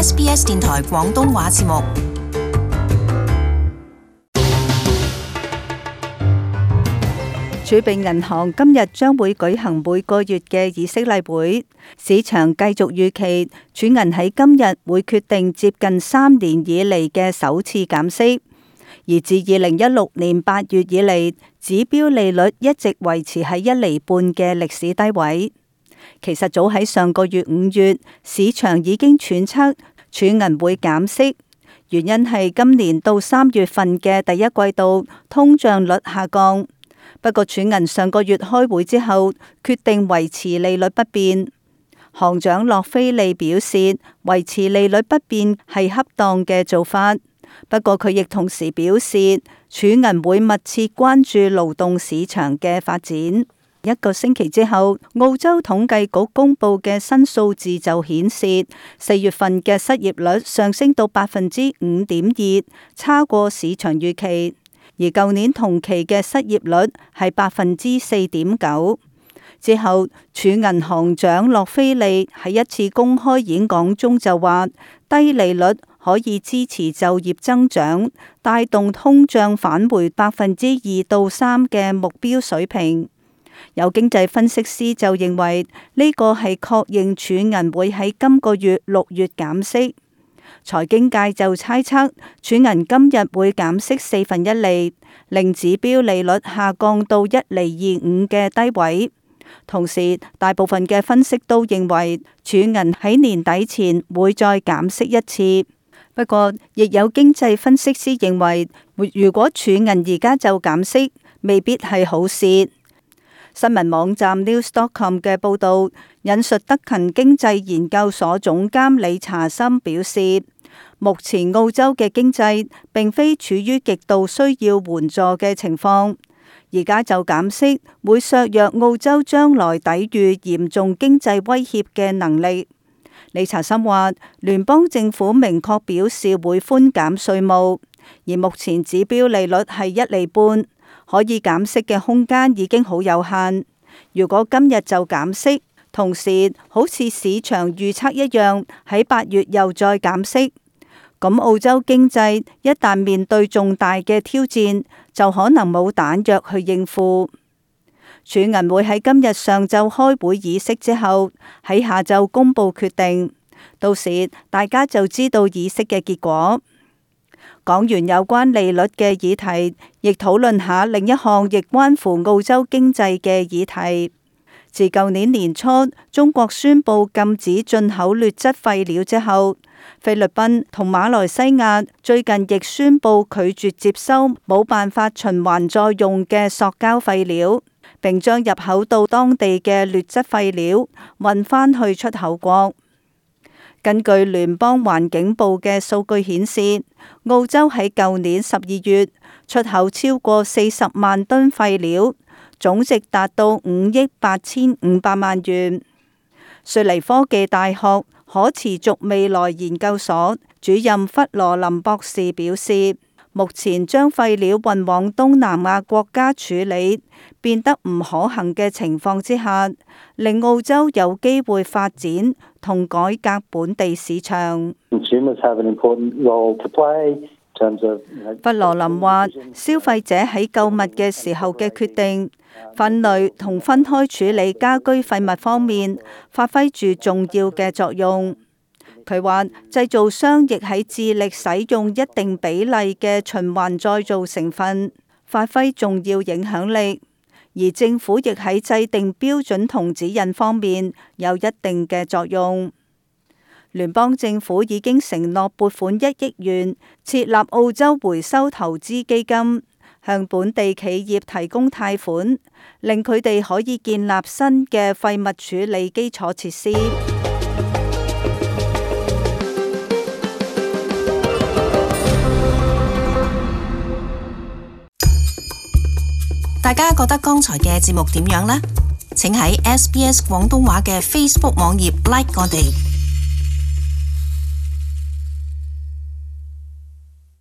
SBS 電台廣東話節目。儲備銀行今日將會舉行每個月嘅議息例會，市場繼續預期儲銀喺今日會決定接近3年以嚟嘅首次減息，而自2016年8月以嚟，指標利率一直維持喺1.5厘嘅歷史低位。其實早喺上個月5月，市場已經揣測儲銀會減息，原因係今年到3月份嘅第一季度通脹率下降。不過儲銀上個月開會之後，決定維持利率不變。行長洛菲利表示，維持利率不變係恰當嘅做法。不過佢亦同時表示，儲銀會密切關注勞動市場嘅發展。一個星期之後，澳洲統計局公布嘅新數字就顯示，4月份嘅失業率上升到5.2%，差過市場預期。而舊年同期嘅失業率係4.9%。之後，儲銀行長洛菲利喺一次公開演講中就話，低利率可以支持就業增長，帶動通脹返回2%到3%嘅目標水平。有經濟分析師就認為呢個係確認儲銀會喺今個月6月減息。財經界就猜測儲銀今日會減息1/4厘，令指標利率下降到1.25厘嘅低位。同時，大部分嘅分析都認為儲銀喺年底前會再減息一次。不過，亦有經濟分析師認為，如果儲銀而家就減息，未必係好事。新聞網站 News.com 嘅報導引述德勤經濟研究所總監理查森表示，目前澳洲嘅經濟並非處於極度需要援助嘅情況，而家就減息會削弱澳洲將來抵禦嚴重經濟威脅嘅能力。理查森話，聯邦政府明確表示會寬減稅務，而目前指標利率係1.5厘。可以減息嘅空間已經好有限。如果今日就減息，同時好似市場預測一樣，喺8月又再減息，咁澳洲經濟一旦面對重大嘅挑戰，就可能冇彈藥去應付。儲銀會喺今日上晝開會議息之後，喺下晝公佈決定，到時大家就知道議息嘅結果。講完有關利率嘅議題，亦討論下另一項亦關乎澳洲經濟嘅議題。自舊年年初中國宣布禁止進口劣質廢料之後，菲律賓同馬來西亞最近亦宣布拒絕接收冇辦法循環再用嘅塑膠廢料，並將入口到當地嘅劣質廢料運返去出口國。根據聯邦環境部嘅數據顯示，澳洲喺舊年12月出口超過40萬噸廢料，總值達到5億8500萬元。雪梨科技大學可持續未來研究所主任弗羅林博士表示，目前將廢料運往東南亞國家處理變得唔可行嘅情況之下，令澳洲有機會發展同改革本地市場。弗羅林話，消費者喺購物嘅時候嘅決定、分類同分開處理家居廢物方面發揮住重要嘅作用。佢話，製造商亦喺致力使用一定比例嘅循環再造成分，發揮重要影響力。而政府亦喺制定標準同指引方面有一定嘅作用。聯邦政府已經承諾撥款1億元設立澳洲回收投資基金，向本地企業提供貸款，令佢哋可以建立新嘅廢物處理基礎設施。大家覺得剛才嘅節目點樣呢？請喺SBS 廣東話嘅 Facebook 網頁 like 我哋。